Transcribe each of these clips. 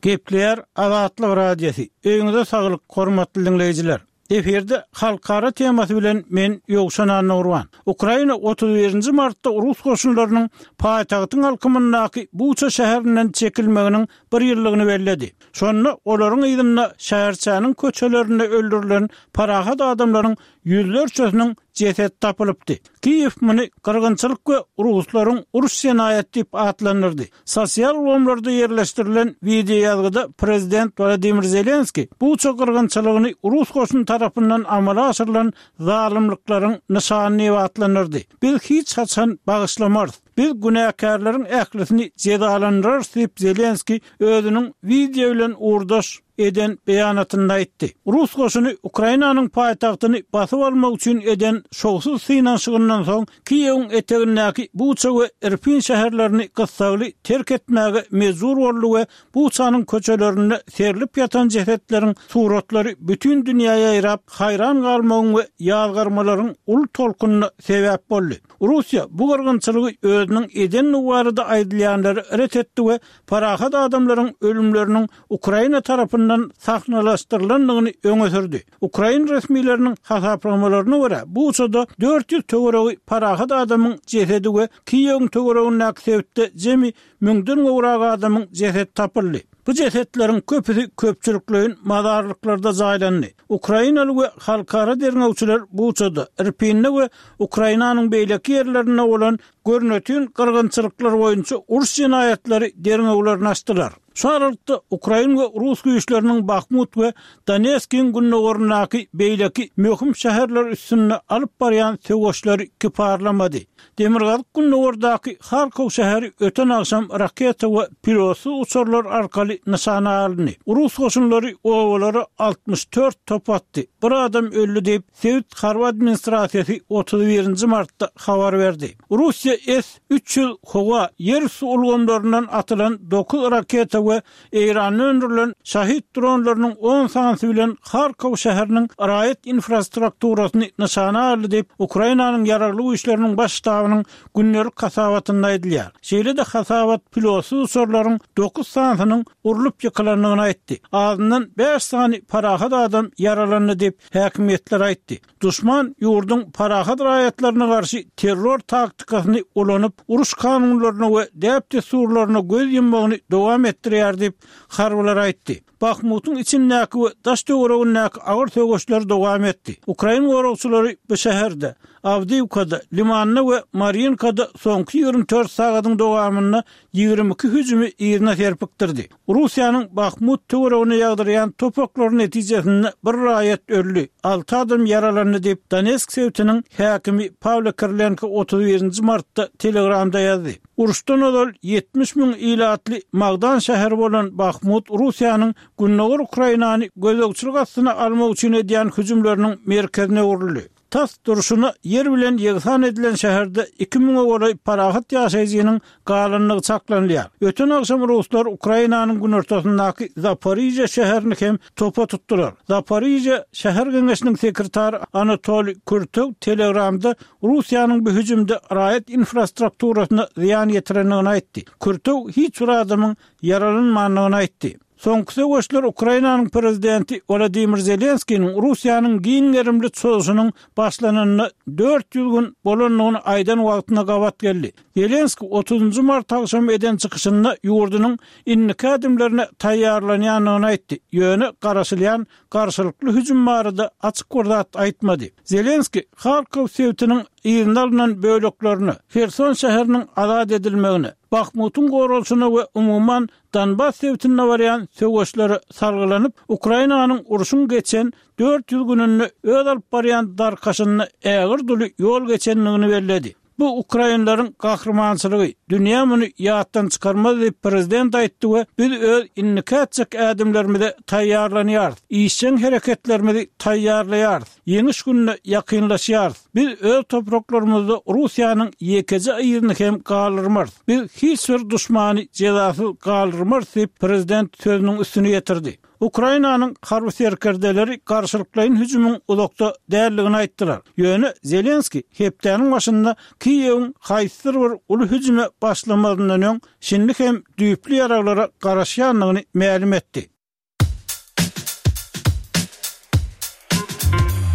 Gepleýär Azatlyk Radiosy, Öýüňize saglyk, hormatly diňleýjiler! Efirde halkara temasy bilen men Ýowşan Annagurban. Ukraina 31-nji martda rus goşunlarynyň paýtagtyň alkymyndaky Buça şäherinden çekilmeginiň bir ýyllygyny belledi. Şonda olaryň yzynda şäherçäniň köçelerinde öldürilen parahat adamlaryň ýüzlerçesiniň jesedi tapylypdy. Kiýew muny gyrgynçylyk we ruslaryň uruş jenaýaty diýip atlandyrdy. Sosial ulgamlarda ýerleşdirilen wideoýazgyda prezident Wladimir Zelenskiý Buça gyrgynçylygyny rus goşuny tarapyndan amala aşyrylan zalymlyklaryň nyşany diýip atlandyrdy. Biz hiç haçan bagyşlamarys. Biz günäkärleriň ählisini jezalandyrarys diýip Zelenskiý özüniň wideo bilen ugurdaş eden beýanatynda aýtdy. Rus goşuny Ukrainanyň paýtagtyny basyp almak üçin eden şowsuz synanyşygyndan soň Kiýewiň etegindäki Buça we Irpin şäherlerini gyssagly terk etmäge mejbur boldy we Buçanyň köçelerinde serlip ýatan jesetleriň suratlary bütin dünýä ýaýrap, haýran galmagyň we ýazgarmalaryň uly tolkunyna sebäp boldy. Russiýa bu gyrgynçylygy özüniň edendigi barada aýdylýanlary ret etdi we parahat adamlaryň ölümleriniň Ukraina tarapyndan sahnalaşdyrylandygyny öňe sürdi. Ukrain resmileriniň hasaplamalaryna görä, Buçada 400 töweregi parahat adamyň jesedi we Kiýewiň töweregindäki sebitde jemi müňden gowrak adamyň jesedi tapyldy. Bu jesetleriň köpüsi köpçülikleýin mazarlyklarda jaýlandy. Ukrainaly we halkara derňewçiler Buçada, Irpinde we Ukrainanyň beýleki ýerlerinde bolan görnetin gyrgynçylyklar boýunça uruş jenaýatlary derňewlerini açdylar. Şu aralykda, ukrain we rus güýçleriniň Bahmut we Donetskiň gündogaryndaky beýleki möhüm şäherler üstünde alyp barýan söweşleri kiparlamady. Demirgazyk-gündogardaky Harkow şäheri öten agşam raketa we pilotsyz uçarlar arkaly nyşana alyndy. Rus goşunlary obalara 64 top atdy, bir adam öldi diýip, sebit harby administrasiýasy 31-nji martda habar berdi. Russiýa S 300 howa, ýerüsti ulgamlaryndan atylan dokuz raketa we Eýranda öndürilen Şahid dronlarynyň on sanysy bilen Harkow şäheriniň raýat infrastrukturasyny nyşana aldy diýip, Ukrainanyň Ýaragly Güýçleriniň Baş ştabynyň gündelik hasabatynda aýdylýar. Şeýle-de hasabat pilotsyz uçarlaryň dokuz sanysynyň urlup ýykylandygyny aýtdy. Azyndan bäş sany parahat adam ýaralandy diýip, häkimiýetler aýtdy. Duşman ýurduň parahat raýatlaryna garşy terror taktikasyny ulanyp, uruş kanunlaryna we däp-dessurlaryna göz ýummagyny dowam etdirýär diýip, harbylar aýtdy. Bahmutyň içindäki we daş-töweregindäki agyr söweşler dowam etdi. Ukrain goragçylary bu şäherde, Awdiýewkada, Limanda we Marýinkada soňky 24 sagadyň dowamynda 22 hüjümi yzyna serpikdirdi. Russiýanyň Bahmut töweregine ýagdyrýan top oklary netijesinde bir raýat öldi, alty adam ýaralandy diýip, Donetsk sebitiniň häkimi Pawlo Kirilenko 31-nji martda Telegramda ýazdy. Uruşdan ozal 70 müň ilatly magdan şäheri bolan Bahmut Russiýanyň gündogar Ukrainany gözegçilik astyna almak üçin edýän hüjümleriniň merkezine öwrüldi. Tas durşuna ýer bilen ýegsan edilen şäherde iki müňe golaý parahat ýaşaýjynyň galandygy çaklanylýar. Öten agşam ruslar Ukrainanyň günortasyndaky Zaporižýa şäherini hem topa tutdular. Zaporižýa şäher geňeşiniň sekretary Anatoliý Kürtow Telegramda Russiýanyň bu hüjümde raýat infrastrukturasyna zyýan ýetirendigini aýtdy. Kürtow hiç bir adamyň ýaralanmandygyny aýtdy. Soňky söweşler Ukrainanyň prezidenti Wolodymyr Zelenskiniň Russiýanyň giň gerimli çozuşynyň başlananyna 400 gün bolandygyny aýdan wagtyna gabat geldi. Zelenskiý otuzynjy mart agşamy eden çykyşynda ýurdunyň indiki ädimlerine taýýarlanýandygyny aýtdy, ýöne garaşylýan garşylykly hüjüm barada açyk bir zat aýtmady. Zelenskiý Harkow sebitiniň yzyna alnan böleklerine, Herson şäheriniň azat edilmegine, Bahmutyň goralyşyna we umuman Donbas sebitinde barýan söweşlere salgylanyp, Ukrainanyň urşuň geçen 400 gününde öz alyp barýan darkaşynda ägirt uly ýol geçendigini belledi. Bu ukrainleriň gahrymançylygy, dünýä muny ýatdan çykarmaz diýip, prezident aýtdy we biz öz indiki ätjek ädimlerimize taýýarlanýarys, işjeň hereketlerimizi taýýarlaýarys. Ýeňiş gününe ýakynlaşýarys. Biz öz topraklarymyzda Russiýanyň ýekeje yzyny hem galdyrmarys. Biz hiç bir duşmany jezasyz galdyrmarys diýip, prezident sözüniň üstüni ýetirdi. Ukrainanyň harby serkerdeleri garşylyklaýyn hüjümiň uzakda däldigini aýtdylar. Ýöne Zelenskiý hepdäniň başynda Kiýewiň haýsydyr bir uly hüjüme başlamazyndan öň şindi hem düýpli ýaraglara garaşýandygyny mälim etdi.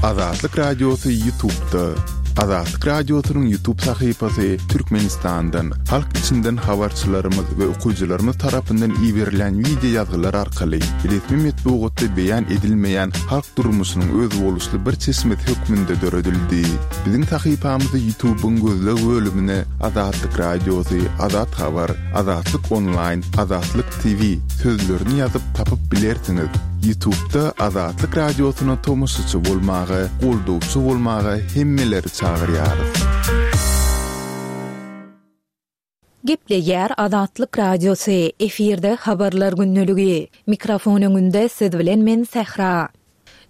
Azatlyk Radiosy Ýutubda. Azatlyk Radiosynyň Ýutub sahypasy Türkmenistandan, halk içinden habarçylarymyz we okyjylarymyz tarapyndan iberilýän wideo ýazgylar arkaly resmi metbugatda beýan edilmeýän halk durmuşynyň özboluşly bir çeşmesi hökmünde döredildi. Biziň sahypamyzy Ýutubyň gözleg bölümine Azatlyk Radiosy, Azat Habar, Azatlyk Onlaýn, Azatlyk TV sözlerini ýazyp tapyp bilersiňiz. Ýutubda Azatlyk Radiosyna tomaşaçy bolmaga, goldawçy bolmaga hemmeleri çagyrýarys. Gepleýär Azatlyk Radiosy, efirde Habarlar gündeligi. Mikrofon öňünde siz bilen men Sähra.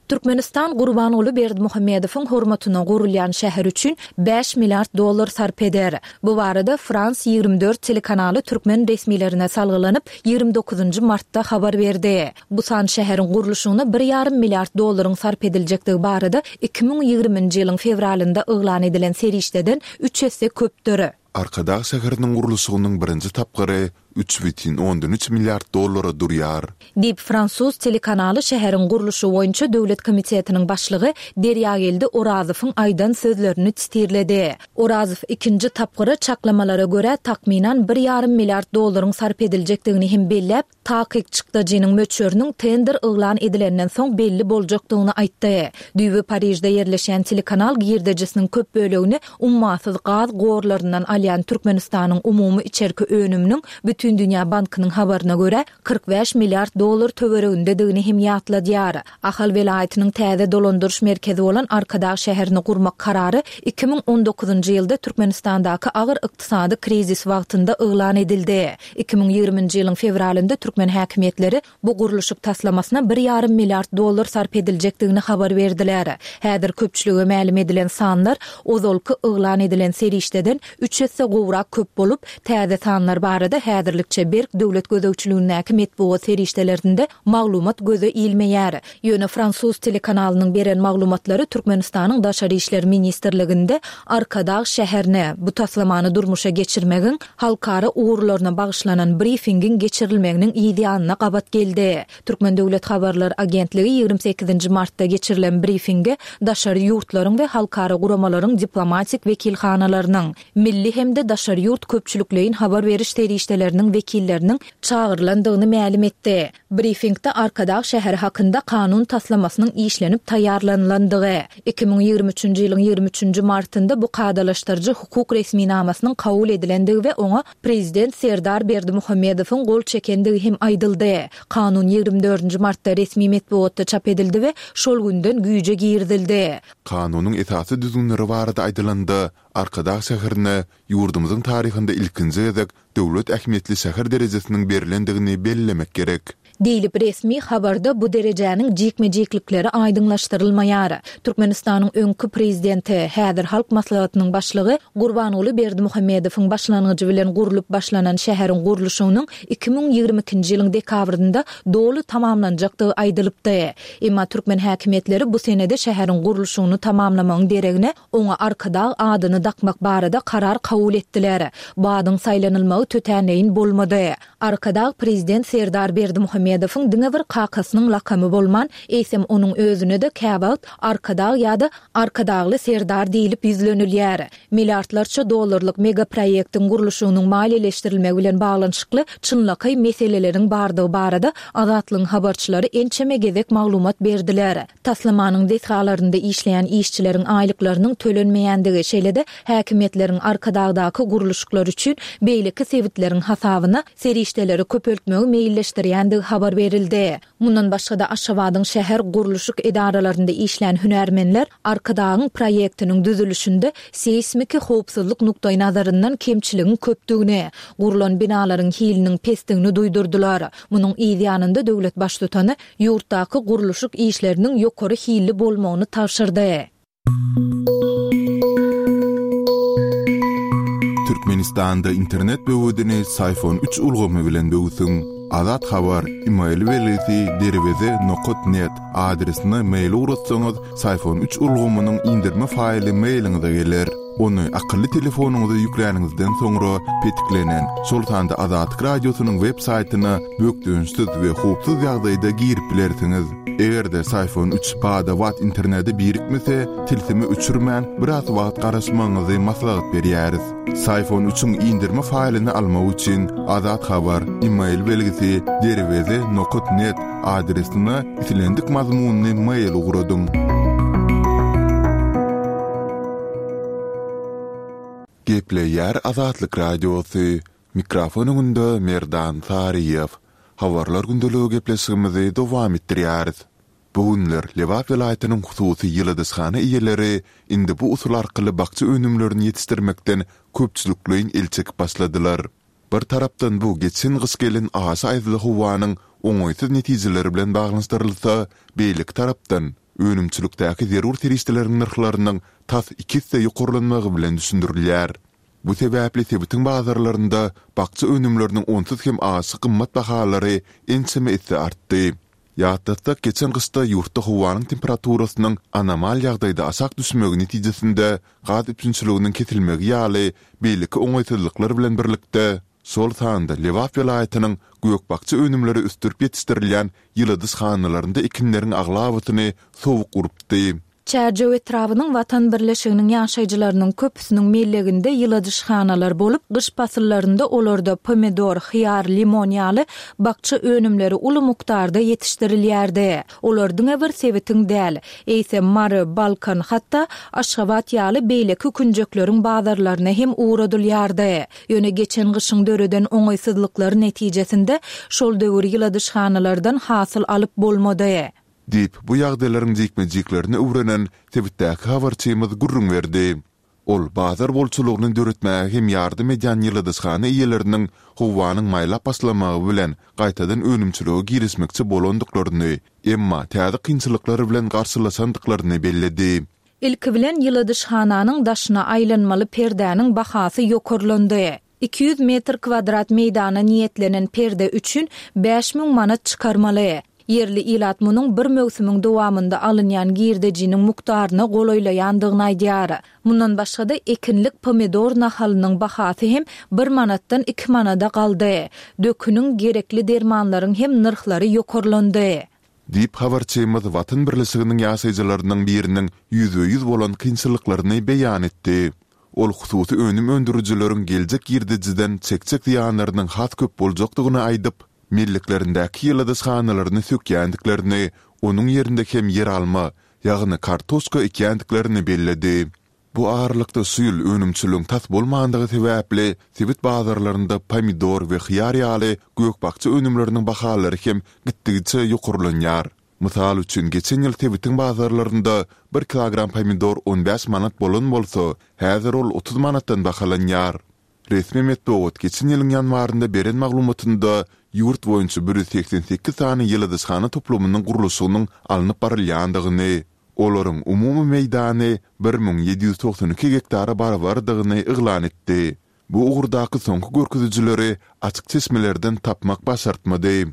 Türkmenistan Gurbanguly Berdimuhamedowyň hormatyna gurulýan şäher üçin bäş milliard dollar sarp eder. Bu barada Frans 24 telekanaly türkmen resmilerine salgylanyp, 29-njy martda habar berdi. Bu san şäheriň gurluşygyna bir ýarym milliard dollaryň sarp ediljekdigi barada 2020-nji ýylyň fewralynda yglan edilen serişdeden üç esse köpdür. Arkadag şäheriniň gurluşygynyň birinji tapgyry 3,3 milliard dollara durýar. Diýip, fransuz telekanaly şäheriň gurluşygy boýunça döwlet komitetiniň başlygy Derýageldi Orazowyň aýdan sözlerini sitirledi. Orazow ikinji tapgyra çaklamalara görä takmynan bir ýarym milliard dollaryň sarp ediljekdigini hem belläp, Takyk çykdajynyň möçberiniň tender yglan edilenden soň belli boljakdygyny aýtdy. Düýbi Parižde ýerleşýän telekanal girdejisiniň köp bölegini ummasyz gaz gorlaryndan alýan Türkmenistanyň umumy içerki önüminiň Bütindünýä bankynyň habaryna görä, 45 milliard dollar töweregindedigini hem ýatladýar. Ahal welaýatynyň täze dolandyryş merkezi bolan Arkadag şäherini gurmak karary 2019-njy ýylda Türkmenistandaky agyr ykdysady krizis wagtynda yglan edildi. 2020-nji ýylyň fewralynda türkmen häkimiýetleri bu gurluşyk taslamasyna bir ýarym milliard dollar sarp ediljekdigini habar berdiler. Häzir köpçülige mälim edilen sanlar ozalky yglan edilen serişdeden üç esse gowrak köp bolup, täze sanlar barada häzirlikçe berk döwlet gözegçiligindäki metbugat serişdelerinde maglumat göze ilmeýär. Ýöne fransuz telekanalynyň beren maglumatlary Türkmenistanyň Daşary işler ministrliginde Arkadag şäherine bu taslamany durmuşa geçirmegiň halkara ugurlaryna bagyşlanan brifingiň geçirilmeginiň yz ýanyna gabat geldi. Türkmen döwlet habarlar agentligi 28-nji martda geçirilen brifinge daşary ýurtlaryň we halkara guramalaryň diplomatik wekilhanalarynyň, milli hem-de daşary ýurt köpçülikleýin habar beriş serişdeleriniň wekilleriniň çagyrylandygyny mälim etdi. Brifingde Arkadag şäheri hakynda kanun taslamasynyň işlenip taýýarlanylandygy, 2023-nji ýylyň 23-nji martynda bu kadalaşdyryjy hukuk resminamasynyň kabul edilendigi we oňa Prezident Serdar Berdimuhamedowyň gol çekendigi hem aýdyldy. Kanun 24-nji martda resmi metbugatda çap edildi we şol günden güýje girizildi. Kanunyň esasy düzgünleri barada aýdylanda, Arkadag şäherine ýurdumyzyň taryhynda ilkinji gezek döwlet ähmiýetli şäher derejesiniň berlendigini bellemek gerek. Diýlip, resmi habarda bu derejäniň jikme-jiklikleri aýdyňlaşdyrylmaýar. Türkmenistanyň öňki Prezidenti, häzir Halk Maslahatynyň Başlygy Gurbanguly Berdimuhamedowyň başlangyjy bilen gurlup başlanan şäheriň gurluşygynyň 2022-nji ýylyň dekabrynda doly tamamlanjakdygy aýdylypdy. Emma türkmen häkimiýetleri bu senede şäheriň gurluşygyny tamamlamagyň deregine Oňa Arkadag adyny dakmak barada karar kabul etdiler. Bu adyň saýlanylmagy tötänleýin bolmady. Arkadag Prezident Serdar Berdimuhamedowyň diňe bir kakasynyň lakamy bolman, eýsem onuň özüne-de käwagt Arkadag ýa-da Arkadagly Serdar diýlip ýüzlenilýär. Milliardlarça dollarlyk megaproýektiň gurluşygynyň maliýeleşdirilmegi bilen baglanyşykly çynlakaý meseleleriň bardygy barada Azatlygyň habarçylary ençeme gezek maglumat berdiler. Taslamanyň desgalarynda işleýän işçileriň aýlyklarynyň tölenmeýändigi, şeýle-de häkimiýetleriň Arkadagdaky gurluşyklar üçin beýleki sebitleriň hasabyna serişdeleri köpeltmegi meýilleşdirýändigi habar berildi. Mundan başga-da, Aşgabadyň şäher gurluşyk edaralarynda işlän hünärmenler Arkadagyň proýektiniň düzülişinde seýsmiki howpsuzlyk nukdaýnazaryndan kemçiligiň köpdügini, gurlan binalaryň hiliniň pesdigini duýdurdylar. Munuň yz ýanynda döwlet Baştutany ýurtdaky gurluşyk işleriniň ýokary hilli bolmagyny tabşyrdy. Türkmenistanda internet böwedini Syfon üç ulgamy bilen böwsüň. Azat Habar, email belgisi derweze nokat net adresine mail ugratsaňyz, Syfon üç ulgamynyň inderme faýly mailiňize geler. Ony akylly telefonyňyza ýükläniňizden soňra petiklenen, şol sanda Azatlyk Radiosynyň web saýtyna bökdençsiz we howpsuz ýagdaýda girip bilersiňiz. Eger-de Syfon üç bada-bat internete birikmese, tilsimi öçürmän, biraz wagt garaşmagyňyzy maslahat berýäris. Syfon üçiň indirme faýlyny almak üçin Azat Habar, email belgisi, derweze nokat net adresine islendik mazmunly mail ugradyň. Gepleýär Azatlyk Radiosy, Mikrofon öňünde Merdan Saryýew. Habarlar gündeligi gepleşigimizi dowam etdirýäris. Bu günler Lebap welaýatynyň hususy ýyladyşhana eýeleri indi bu usul arkaly bakja önümlerini ýetişdirmekden köpçülikleýin el çekip başladylar. Bir tarapdan bu geçen gyş gelen aşa aýazly howanyň oňaýsyz netijeleri bilen baglanyşdyrylsa, beýleki tarapdan, önümçilikdäki zerur serişdeleriň nyrhlarynyň tas iki esse ýokarlanmagy bilen düşündirilýär. Bu sebäpli sebitiň bazarlarynda bakja önümleriniň onsuz hem aşa gymmat bahalary ençeme esse artdy. Ýatlatsak, geçen gyşda ýurtda howanyň temperaturasynyň anomal ýagdaýda aşak düşmegi netijesinde gaz üpjünçiliginiň kesilmegi ýaly beýleki oňaýsyzlyklar bilen birlikde, şol sanda Lebap welaýatynyň gök-bakja önümleri ösdürip ýetişdirilýän ýyladyşhanalarynda ekinleriň aglabasyny sowuk urupdy. Çärjew etrabynyň Watan birleşiginiň ýaşaýjylarynyň köpüsiniň melleginde ýyladyşhanalar bolup, gyş pasyllarynda olarda pomidor, hyýar, limon ýaly bakja önümleri uly mukdarda ýetişdirilýärdi. Olar diňe bir sebitiň däl, eýsem Mary, Balkan, hatda Aşgabat ýaly beýleki künjekleriň bazarlaryna hem ugradylýardy. Ýöne geçen gyşyň döreden oňaýsyzlyklary netijesinde şol döwür ýyladyşhanalardan hasyl alyp bolmady. Diýip, bu ýagdaýlaryň jikme-jiklerini öwrenen sebitdäki habarçymyz gürrüň berdi. Ol bazar bolçulygyny döretmäge hem ýardam edýän ýyladyşhana eýeleriniň howanyň maýlap başlamagy bilen gaýtadan önümçilige girişmekçi bolandyklaryny, emma täze kynçylyklar bilen garşylaşandyklaryny belledi. Ilki bilen ýyladyşhananyň daşyna aýlanmaly perdäniň bahasy ýokarlandy. 200 metr kwadrat meýdana niýetlenen perde üçin 5000 manat çykarmaly. Ýerli ilat munuň bir möwsümiň dowamynda alynýan girdejiniň mukdaryna golaýlaýandygyny aýdýar. Mundan başga-da, ekinlik pomidor nahalynyň bahasy hem bir manatdan iki manada galdy. Döküniň, gerekli dermanlaryň hem nyrhlary ýokarlandy. Diýip, habarçymyz Watan birleşiginiň ýaşaýjylarynyň biriniň ýüzbe-ýüz bolan kynçylyklaryny beýan etdi. Ol hususy önüm öndürijileriň geljek girdejiden çekjek zyýanlarynyň has köp boljakdygyny aýdyp, melleklerindäki ýyladyşhanalaryny sökýändiklerini, onuň ýerinde hem ýeralma, ýagny kartoşka ekýändiklerini belledi. Bu aralykda şu ýyl önümçiligiň tas bolmandygy sebäpli, sebit bazarlarynda pomidor we hyýar ýaly gök-bakja önümleriniň bahalary hem gitdigiçe ýokarlanýar. Mysal üçin, geçen ýyl sebitiň bazarlarynda bir kilogram pomidor on bäş manat bolan bolsa, häzir ol 30 manatdan bahalanýar. Resmi metbugat geçen ýylyň ýanwarynda beren maglumatynda ýurt boýunça 188 sany ýyladyşhana toplumynyň gurluşygynyň alnyp barylýandygyny, olaryň umumy meýdany 1792 gektara barabardygyny yglan etdi. Bu ugurdaky soňky görkezijileri açyk çeşmelerden tapmak başartmady.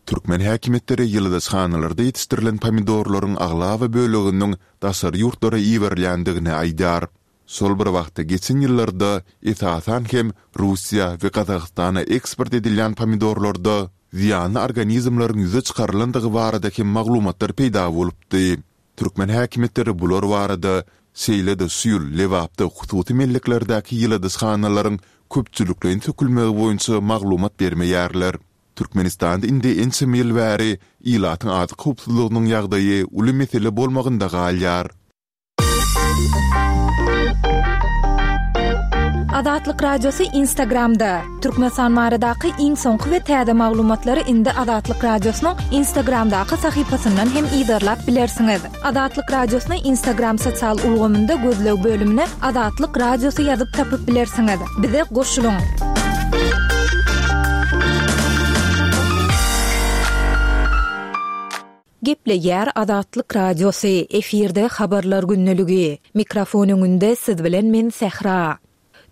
Türkmen häkimiýetleri ýyladyşhanalarda ýetişdirilen pomidorlaryň aglaba böleginiň daşary ýurtlara iberilýändigini aýdýar. Şol bir wagtda geçen ýyllarda esasan hem Russiýa we Gazagystana eksport edilýän pomidorlarda zyýanly organizmleriň ýüze çykarylandygy barada hem maglumatlar peýda bolupdy. Türkmen häkimiýetleri bular barada, şeýle-de şu ýyl Lebapda hususy melleklerdäki ýyladyşhanalaryň köpçülikleýin sökülmegi boýunça maglumat bermeýärler. Türkmenistanda indi ençeme ýyl bäri ilatyň azyk howpsuzlygynyň ýagdaýy uly mesele bolmagynda galýar. Azatlyk Radiosy Instagramda. Türkmenistan baradaky iň soňky we täze maglumatlary indi Azatlyk Radiosynyň Instagramdaky sahypasyndan hem yzarlap bilersiňiz. Azatlyk Radiosyny Instagram sosial ulgamynda gözleg bölümine Azatlyk Radiosy ýazyp tapyp bilersiňiz. Bize goşulyň! Gepleýär Azatlyk Radiosy, efirde Habarlar gündeligi. Mikrofon öňünde siz bilen men Sähra.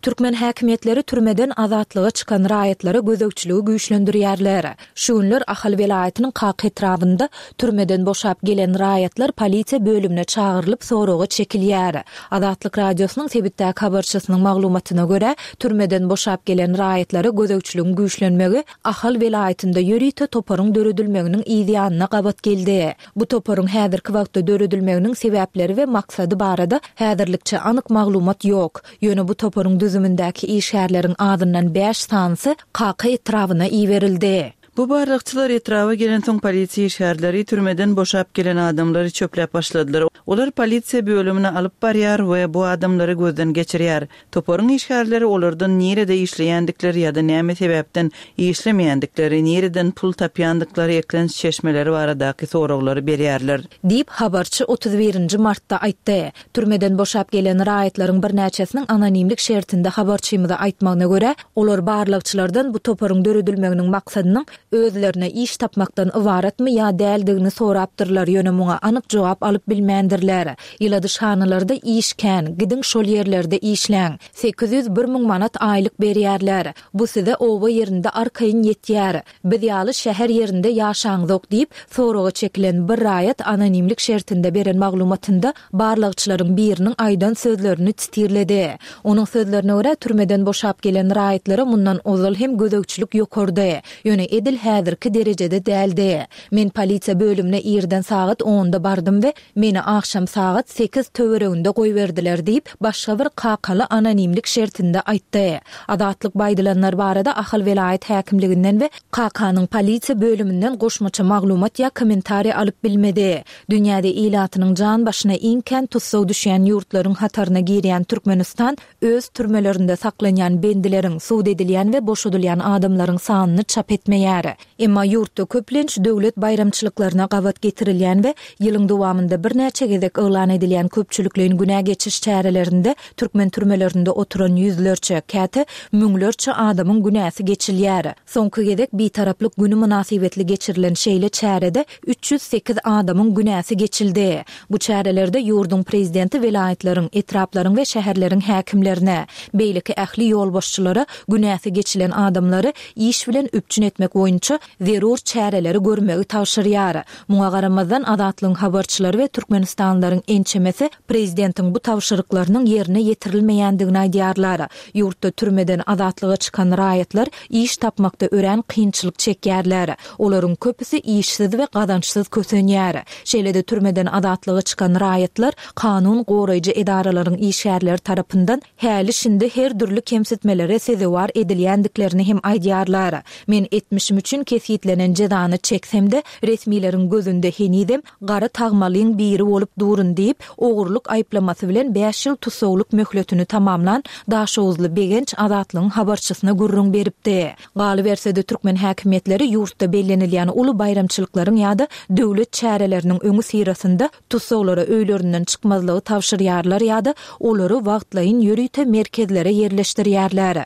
Türkmen häkimiýetleri türmeden azatlyga çykan raýatlara gözegçiligi güýçlendirýärler. Şu günler Ahal welaýatynyň Kaka etrabynda türmeden boşap gelen raýatlar polisiýa bölümine çagyrylyp soraga çekilýär. Azatlyk Radiosynyň sebitdäki habarçysynyň maglumatyna görä, türmeden boşap gelen raýatlara gözegçiligiň güýçlenmegi Ahal welaýatynda ýörite toparyň döredilmeginiň yz ýanyna gabat geldi. Bu toparyň häzirki wagtda döredilmeginiň sebäpleri we maksady barada häzirlikçe anyk maglumat ýok. Ýöne bu toparyň düzümindäki işgärleriň azyndan bäş sanysy Kaka etrabyna iberildi. Bu barlagçylar etraba gelensoň polisiýa işgärleri türmeden boşap gelen adamlary çöpläp başladylar. Olar polisiýa bölümine alyp barýar we bu adamlary gözden geçirýär. Toparyň işgärleri olardan nirede işleýändikleri ýa-da näme sebäpden işlemeýändikleri, nireden pul tapýandyklary, eklenç çeşmeleri baradaky soraglary berýärler. Diýip, habarçy 31 nji martda aýtdy. Türmeden boşap gelen raýatlaryň birnäçesiniň anonimlik şertinde habarçymyza aýtmagyna görä, olar barlagçylardan bu toparyň döredilmeginiň maksadynyň özlerine iş tapmakdan ybaratmy ýa däldigini sorapdyrlar, ýöne muňa anyk jogap alyp bilmändirler. Ýyladyşhanalarda iş kän, gidiň şol ýerlerde işläň. 800-1000 manat aýlyk berýärler. Bu size oba ýerinde arkaýyn ýetýär. Biz ýaly şäher ýerinde ýaşaňzok diýip, soraga çekilen bir raýat anonimlik şertinde beren maglumatynda barlagçylaryň biriniň aýdan sözlerini titirledi. Onuň sözlerine görä, türmeden boşap gelen raýatlara mundan ozal hem gözegçilik ýokardy, ýöne edil häzirki derejede däldi. Men polisiýa bölümine irden sagat onda bardym we Meni agşam sagat sekiz töwereginde goýberdiler diýip, başga bir kakaly anonimlik şertinde aýtdy. Azatlyk bu aýdylanlar barada Ahal welaýat häkimliginden we Kakanyň polisiýa bölüminden goşmaça maglumat ýa kommentariý alyp bilmedi. Dünýäde ilatynyň jan başyna iň kän tussag düşýän ýurtlaryň hataryna girýän Türkmenistan öz türmelerinde saklanýan bendileriň, sud edilýän we boşadylýan adamlaryň sanyny çap etmeýär. Emma ýurtda köplenç döwlet baýramçylyklaryna gabat getirilýän we ýylyň dowamynda birnäçe gezek yglan edilýän köpçülikleýin günä geçiş çärelerinde türkmen türmelerinde oturan ýüzlerçe, käte müňlerçe adamyň günäsi geçilýär. Soňky gezek Bitaraplyk güni mynasybetli geçirilen şeýle çärede 308 adamyň günäsi geçildi. Bu çärelerde ýurduň prezidenti welaýatlaryň, etraplaryň we şäherleriň häkimlerine, beýleki ähli ýolbaşçylara günäsi geçilen adamlary iş bilen üpjün etmek boýunça zerur çäreleri görmegi tabşyrýar. Muňa garamazdan, Azatlygyň habarçylary we türkmenistanlylaryň ençemesi prezidentiň bu tabşyryklarynyň ýerine ýetirilmeýändigini aýdýarlar. Ýurtda türmeden azatlyga çykan raýatlar iş tapmakda örän kynçylyk çekýärler. Olaryň köpüsi işsiz we gazançsyz kösenýär. Şeýle-de türmeden azatlyga çykan raýatlar kanun goraýjy edaralaryň işgärleri tarapyndan häli-şindi her dürli kemsitmelere sezewar edilýändiklerini hem aýdýarlar. Men etmişim üçin kesgitlenen jezany çeksem-de, resmileriň gözünde henizem gara tagmalyň biri bolup durun diýip, ogurlyk aýyplamasy bilen bäş ýyl tussaglyk möhletini tamamlan daşoguzly Begenç Azatlygyň habarçysyna gürrüň beripdi. Galyberse-de, türkmen häkimiýetleri ýurtda bellenilýän uly baýramçylyklaryň ýa-da döwlet çäreleriniň öňüsyrasynda tussaglara öýlerinden çykmazlygy tabşyrýarlar ýa-da olary wagtlaýyn ýörite merkezlere ýerleşdirýärler.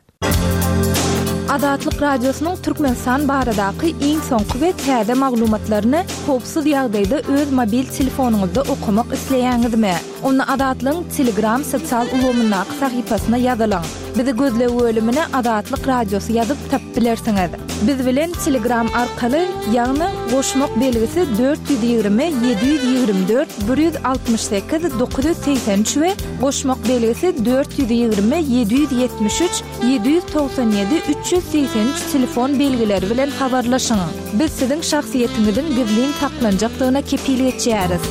Azatlyk Radiosynyň Türkmenistan baradaky iň soňky we täze maglumatlaryny howpsuz ýagdaýda öz mobil telefonyňyzda okamak isleýäňizmi? Onda Azatlygyň Telegram sosial ulgamyndaky sahypasyna ýazylyň. Bizi gözleg bölümine Azatlyk Radiosy ýazyp tapyp bilersiňiz. Biz bilen Telegram arkaly, ýagny goşmak belgisi 420 724 168 983 we goşmak belgisi 420 773 797 383 telefon belgileri bilen habarlaşyň. Biz siziň şahsyýetiňiziň gizlin saklanjakdygyna kepil geçýäris.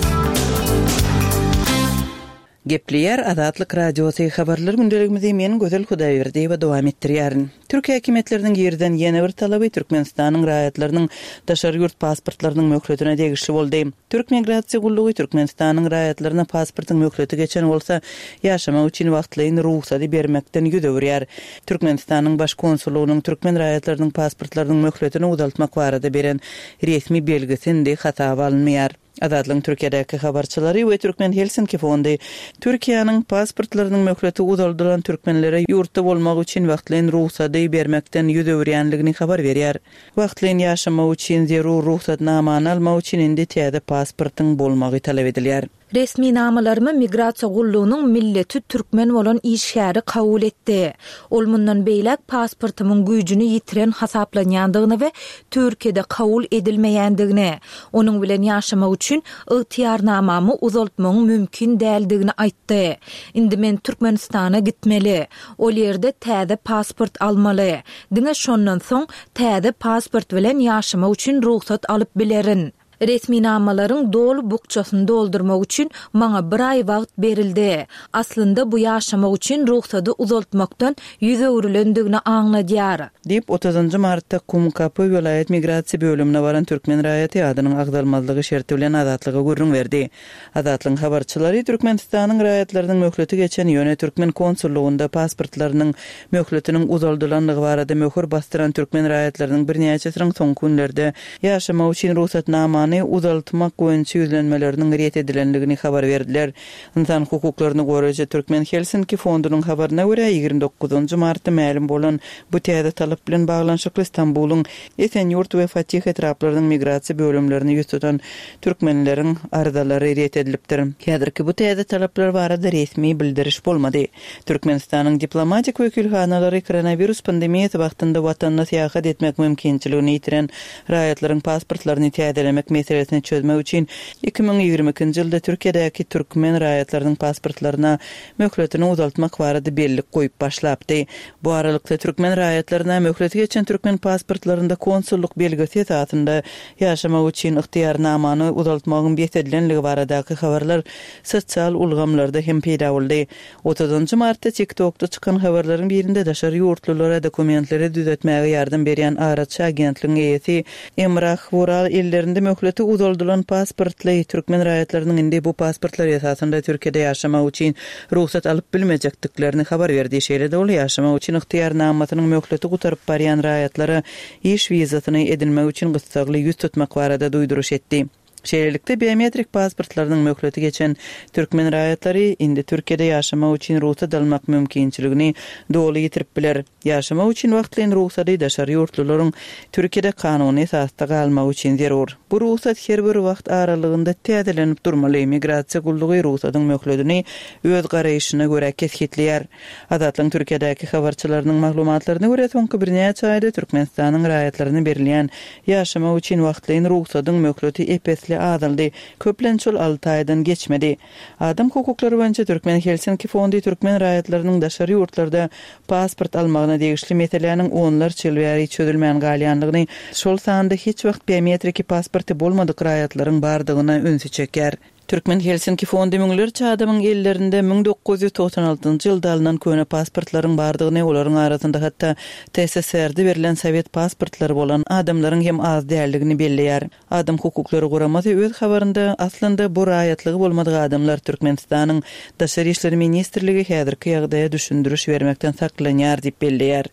Gepleýär Azatlyk Radiosy, Habarlar gündeligimizi men Gözel Hudaýberdiýewa dowam etdirýärin. Türk häkimiýetleriniň girizen ýene bir talaby Türkmenistanyň raýatlarynyň daşary ýurt pasportlarynyň möhletine degişli boldy. Türk migrasiýa gullugy Türkmenistanyň raýatlaryna pasportyň möhleti geçen bolsa, ýaşamak üçin wagtlaýyn rugsady bermekden ýüz öwürýär. Türkmenistanyň Baş konsullygynyň türkmen raýatlarynyň pasportlarynyň möhletini uzaltmak barada beren resmi belgisi indi hasaba alynmaýar. Azatlygyň Türkiýedäki habarçylary we Türkmen Helsinki fondy Türkiýäniň pasportlarynyň möhleti uzaldylan türkmenlere ýurtda bolmak üçin wagtlaýyn rugsady bermekden ýüz öwürýänligini habar berýär. Wagtlaýyn ýaşamak üçin zerur rugsatnamany almak üçin indi täze pasportyň bolmagy talap edilýär. Resminamalarymy migrasiýa gullugynyň milleti türkmen bolan işgäri kabul etdi. Ol mundan beýläk pasportymyň güýjüni ýitiren hasaplanýandygyny we Türkiýede kabul edilmeýändigini, onuň bilen ýaşamak üçin ygtyýarnamamy uzaltmagyň mümkin däldigini aýtdy. Indi men Türkmenistana gitmeli. Ol ýerde täze pasport almaly. Diňe şondan soň täze pasport bilen ýaşamak üçin rugsat alyp bilerin. Resminamalaryň doly bukjasyny doldurmak üçin maňa bir aý wagt berildi. Aslynda bu ýaşamak üçin rugsady uzaltmakdan 100 öwrülendigini aňladýar. Diýip, otuzynjy martda Kumkapy welaýat migrasiýa bölümine baran türkmen raýaty adynyň agzalmazlygy şerti bilen Azatlyga gürrüň berdi. Azatlygyň habarçylary Türkmenistanyň raýatlarynyň möhleti geçen, ýöne türkmen konsullygynda pasportlarynyň möhletiniň uzaldylandygy barada möhür basdyran türkmen raýatlarynyň birnäçesiniň soňky günlerde ýaşamak üçin rugsatnamany uzaltmak boýunça ýüzlenmeleriniň ret edilendigini habar berdiler. Ynsan hukuklaryny goraýjy Türkmen Helsinki fondunyň habaryna görä, 29 martda mälim bolan bu täze talap bilen baglanyşykly Stambulyň Esenýurt we Fatih etraplarynyň migrasiýa bölümlerine ýüz tutan türkmenleriň arzalary ret edilipdir. Häzirki bu täze talaplar barada resmi bildiriş bolmady. Türkmenistanyň diplomatik wekilhanalary koronawirus pandemiýasy wagtynda watanyna syýahat etmek mümkinçiligini ýitiren raýatlaryň pasportlaryny täzelemek meselesini çözmek üçin 2022-nji ýylda Türkiýedäki türkmen raýatlarynyň pasportlaryna möhletini uzaltmak barada bellik goýup başlapdy. Bu aralykda, türkmen raýatlaryna möhleti geçen türkmen pasportlarynda konsullyk belgisi esasynda ýaşamak üçin ygtyýarnamany uzaltmagyň bes edilenligi baradaky habarlar sosial ulgamlarda hem peýda boldy. Otuzynjy martda TikTokda çykan habarlaryň birinde daşary ýurtlulara dokumentleri düzetmäge ýardam berýän araçy agentligiň eýesi Emrah Wural ellerinde möhleti uzaldylan pasportly türkmen raýatlarynyň indi bu pasportlar esasynda Türkiýede ýaşamak üçin rugsat alyp bilmejekdiklerini habar berdi. Şeýle-de ol ýaşamak üçin ygtyýarnamasynyň möhleti gutaryp barýan raýatlara iş wizasyny edinmek üçin gyssagly 100 tutmak barada duýduryş etdi. Şeýlelikde, biometrik pasportlarynyň möhleti geçen türkmen raýatlary indi Türkiýede ýaşamak üçin rugsat almak mümkinçiligini doly ýitirip biler. Ýaşamak üçin wagtlaýyn rugsady daşary ýurtlularyň Türkiýede kanuny esasda galmagy üçin zerur. Bu rugsat her bir wagt aralygynda täzelenip durmaly. Migrasiýa gullugy rugsadyň möhledini öz garaýşyna görä kesgitleýär. Azatlygyň Türkiýedäki habarçylarynyň maglumatlaryna görä, soňky birnäçe aýda Türkmenistanyň raýatlaryna berilýän ýaşamak üçin wagtlaýyn rugsadyň möhleti ep-esli azaldy, köplenç ol alty aýdan geçmedi. Adam hukuklary boýunça Türkmen Helsinki fondy türkmen raýatlarynyň daşary ýurtlarda pasport almagyna degişli meseläniň onlarça ýyl bäri çözülmän galýandygyny, şol sanda hiç wagt biometriki pasporty bolmadyk raýatlaryň bardygyna ünsi çekýär. Türkmen Helsinki fondy müňlerçe adamyň ellerinde 1996 ýylda alnan köne pasportlaryň bardygyny, olaryň arasynda hatda TSSR-de berlen sowet pasportlary bolan adamlaryň hem az däldigini belleýär. Adam hukuklary guramasy öz habarynda, aslynda bu raýatlygy bolmadyk adamlar Türkmenistanyň Daşary işler ministrligi häzirki ýagdaýa düşündiriş bermekden saklanýar diýip belleýär.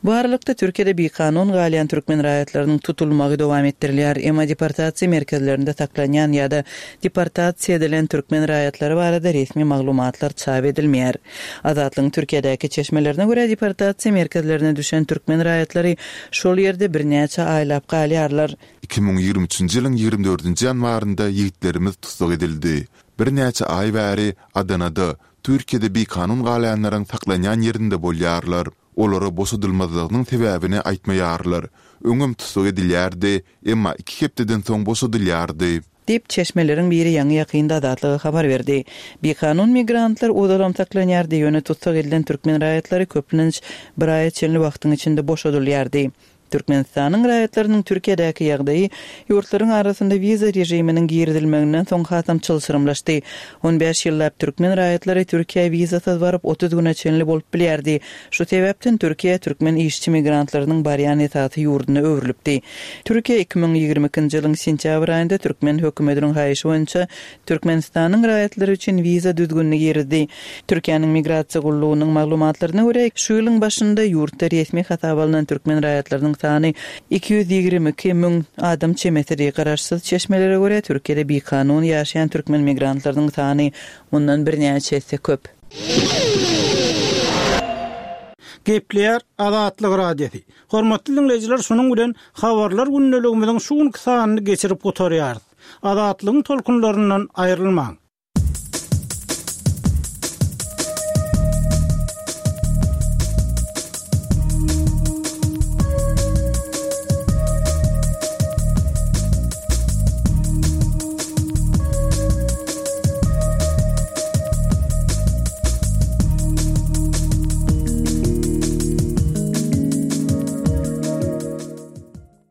Bu aralykda, Türkiýede bikanun galýan türkmen raýatlarynyň tutulmagy dowam etdirilýär. Emma deportasiýa merkezlerinde saklanýan ýa-da deportasiýa edilen türkmen raýatlary barada resmi maglumatlar çap edilmeýär. Azatlygyň Türkiýedäki çeşmelerine görä, deportasiýa merkezlerine düşen türkmen raýatlary şol ýerde birnäçe aýlap galýarlar. 2023-nji ýylyň 24-nji ýanwarynda ýigitlerimiz tussag edildi. Birnäçe aý bäri Adanada, Türkiýede bikanun galýanlaryň saklanýan ýerinde bolýarlar. Olara boşadylmazlygynyň sebäbini aýtmaýarlar. Öňem tussag edilýärdi, emma iki hepdeden soň boşadylýardy. Diýip, çeşmeleriň biri ýaňy-ýakynda Azatlyga habar berdi. Bikanun migrantlar ozalam saklanýardy, ýöne tussag edilen türkmen raýatlary köplenç bir aýa çenli wagtyň içinde boşadylýardy. Türkmenistanyň raýatlarynyň Türkiýedäki ýagdaýy ýurtlaryň arasynda wiza režiminiň girizilmeginden soň hasam çylşyrymlaşdy. On bäş ýyllap türkmen raýatlary Türkiýä wizasyz baryp, 30 güne çenli bolup bilýärdi. Şu sebäpden Türkiýe türkmen işçi migrantlarynyň barýan esasy ýurduna öwrülipdi. Türkiýe 2022-nji ýylyň sentýabr aýynda türkmen hökümetiniň haýyşy boýunça Türkmenistanyň raýatlary üçin wiza düzgünini girizdi. Türkiýäniň Migrasiýa gullugynyň maglumatlaryna görä, şu ýylyň başynda ýurtda resmi hasaba alnan türkmen raýatlarynyň sany 222 müň adam çemesidi. Garaşsyz çeşmelere görä, Türkiýede bikanun ýaşaýan türkmen migrantlarynyň sany mundan birnäçe esse köp. Gepleýär Azatlyk Radiosy. Hormatly diňleýjiler, şunuň bilen Habarlar gündeligimiziň şu günki sanyny geçirip gutarýarys. Azatlygyň tolkunlaryndan aýrylmaň!